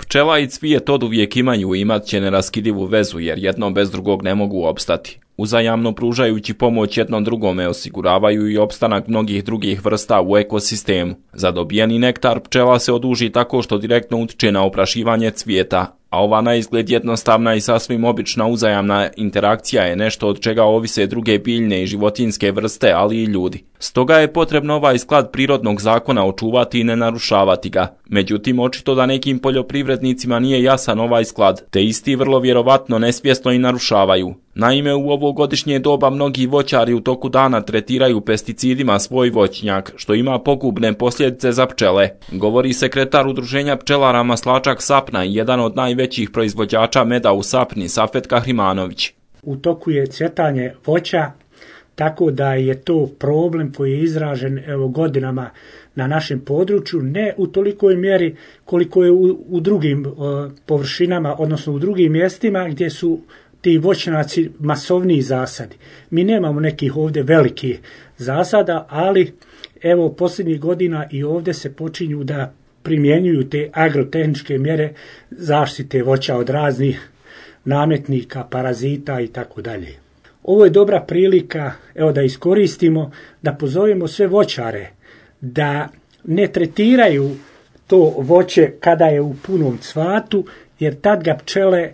Pčela i cvijet oduvijek imaju i imat će neraskidivu vezu jer jedno bez drugog ne mogu opstati. Uzajamno pružajući pomoć jednom drugome osiguravaju i opstanak mnogih drugih vrsta u ekosistemu. Za dobijeni nektar pčela se oduži tako što direktno utiče na oprašivanje cvijeta, a ova na izgled jednostavna i sasvim obična uzajamna interakcija je nešto od čega ovise druge biljne i životinjske vrste, ali i ljudi. Stoga je potrebno ovaj sklad prirodnog zakona očuvati i ne narušavati ga. Međutim, očito da nekim poljoprivrednicima nije jasan ovaj sklad, te isti vrlo vjerovatno nesvjesno i narušavaju. Naime, u ovo godišnje doba mnogi voćari u toku dana tretiraju pesticidima svoj voćnjak, što ima pogubne posljedice za pčele, govori sekretar Udruženja pčelara Maslačak Sapna i jedan od najvećih proizvođača meda u Sapni, Safet Kahrimanović. U toku je cvjetanje voća, tako da je to problem koji je izražen godinama na našem području, ne u tolikoj mjeri koliko je u drugim površinama, odnosno u drugim mjestima gdje su ti voćnjaci masovniji zasadi. Mi nemamo nekih ovdje velikih zasada, ali evo posljednjih godina i ovdje se počinju da primjenjuju te agrotehničke mjere zaštite voća od raznih nametnika, parazita i tako dalje. Ovo je dobra prilika da iskoristimo, da pozovemo sve voćare da ne tretiraju to voće kada je u punom cvatu, jer tad ga pčele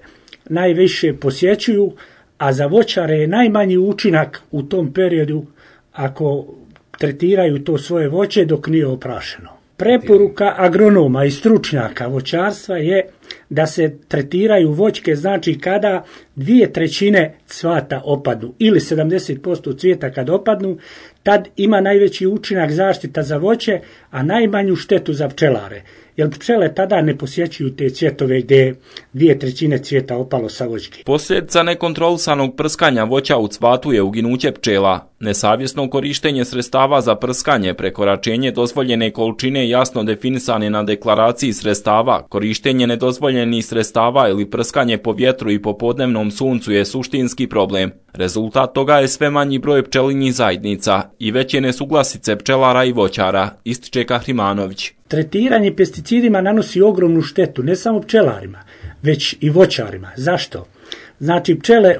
najviše posjećuju, a za voćare je najmanji učinak u tom periodu ako tretiraju to svoje voće dok nije oprašeno. Preporuka agronoma i stručnjaka voćarstva je da se tretiraju voćke, znači kada 2/3 cvata opadnu ili 70% cvijeta kad opadnu, tad ima najveći učinak zaštita za voće, a najmanju štetu za pčelare. Jer pčele tada ne posjećuju te cvjetove gdje je 2/3 cvijeta opalo sa voćke. Posljedica nekontrolisanog prskanja voća u cvatu je uginuće pčela. Nesavjesno korištenje sredstava za prskanje, prekoračenje dozvoljene količine jasno definisane na deklaraciji sredstava, korištenje nedozvoljenih sredstava ili prskanje po vjetru i po podnevnom suncu je suštinski problem. Rezultat toga je sve manji broj pčelinjih zajednica i veće nesuglasice pčelara i voćara, ističe Kahrimanović. Tretiranje pesticidima nanosi ogromnu štetu ne samo pčelarima, već i voćarima. Zašto? Znači pčele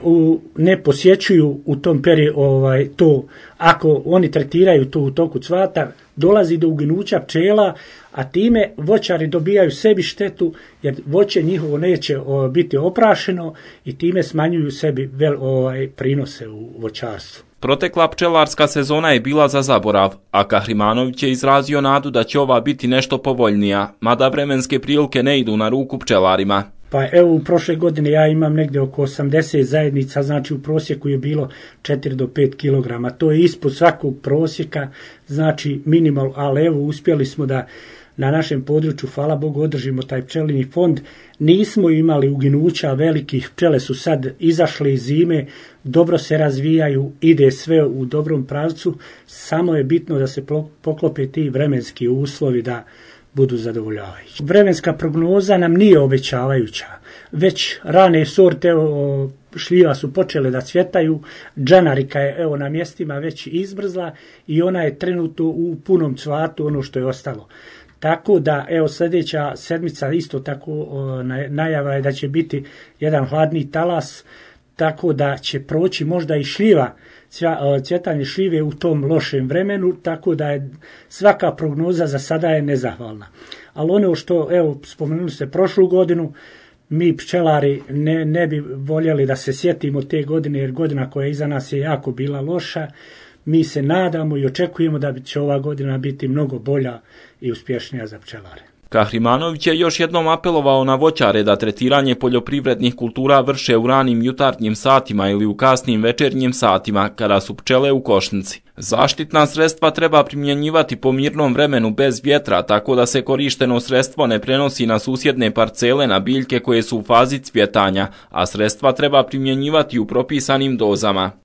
ne posjećuju u tom periodu to, ako oni tretiraju to u toku cvata, dolazi do uginuća pčela, a time voćari dobijaju sebi štetu jer voće njihovo neće biti oprašeno i time smanjuju sebi prinose u voćarstvu. Protekla pčelarska sezona je bila za zaborav, a Kahrimanović je izrazio nadu da će ova biti nešto povoljnija, mada vremenske prilike ne idu na ruku pčelarima. Pa evo u prošle godine ja imam negdje oko 80 zajednica, znači u prosjeku je bilo 4 do 5 kilograma. To je ispod svakog prosjeka, znači minimal, ali evo uspjeli smo da na našem području, hvala Bogu, održimo taj pčelinji fond. Nismo imali uginuća velikih, pčele su sad izašle iz zime, dobro se razvijaju, ide sve u dobrom pravcu, samo je bitno da se poklope ti vremenski uslovi da budu zadovoljavajući. Vremenska prognoza nam nije obećavajuća, već rane sorte šljiva su počele da cvjetaju, džanarika je na mjestima već izbrzla i ona je trenutno u punom cvatu, ono što je ostalo. Tako da, sljedeća sedmica isto tako najava je da će biti jedan hladni talas, tako da će proći možda i šljiva, cvjetanje šljive u tom lošem vremenu, tako da je svaka prognoza za sada je nezahvalna. Ali ono što, spomenuli ste prošlu godinu, mi pčelari ne bi voljeli da se sjetimo te godine, jer godina koja je iza nas je jako bila loša. Mi se nadamo i očekujemo da će ova godina biti mnogo bolja i uspješnija za pčelare. Kahrimanović je još jednom apelovao na voćare da tretiranje poljoprivrednih kultura vrše u ranim jutarnjim satima ili u kasnim večernjim satima, kada su pčele u košnici. Zaštitna sredstva treba primjenjivati po mirnom vremenu bez vjetra, tako da se korišteno sredstvo ne prenosi na susjedne parcele na biljke koje su u fazi cvjetanja, a sredstva treba primjenjivati u propisanim dozama.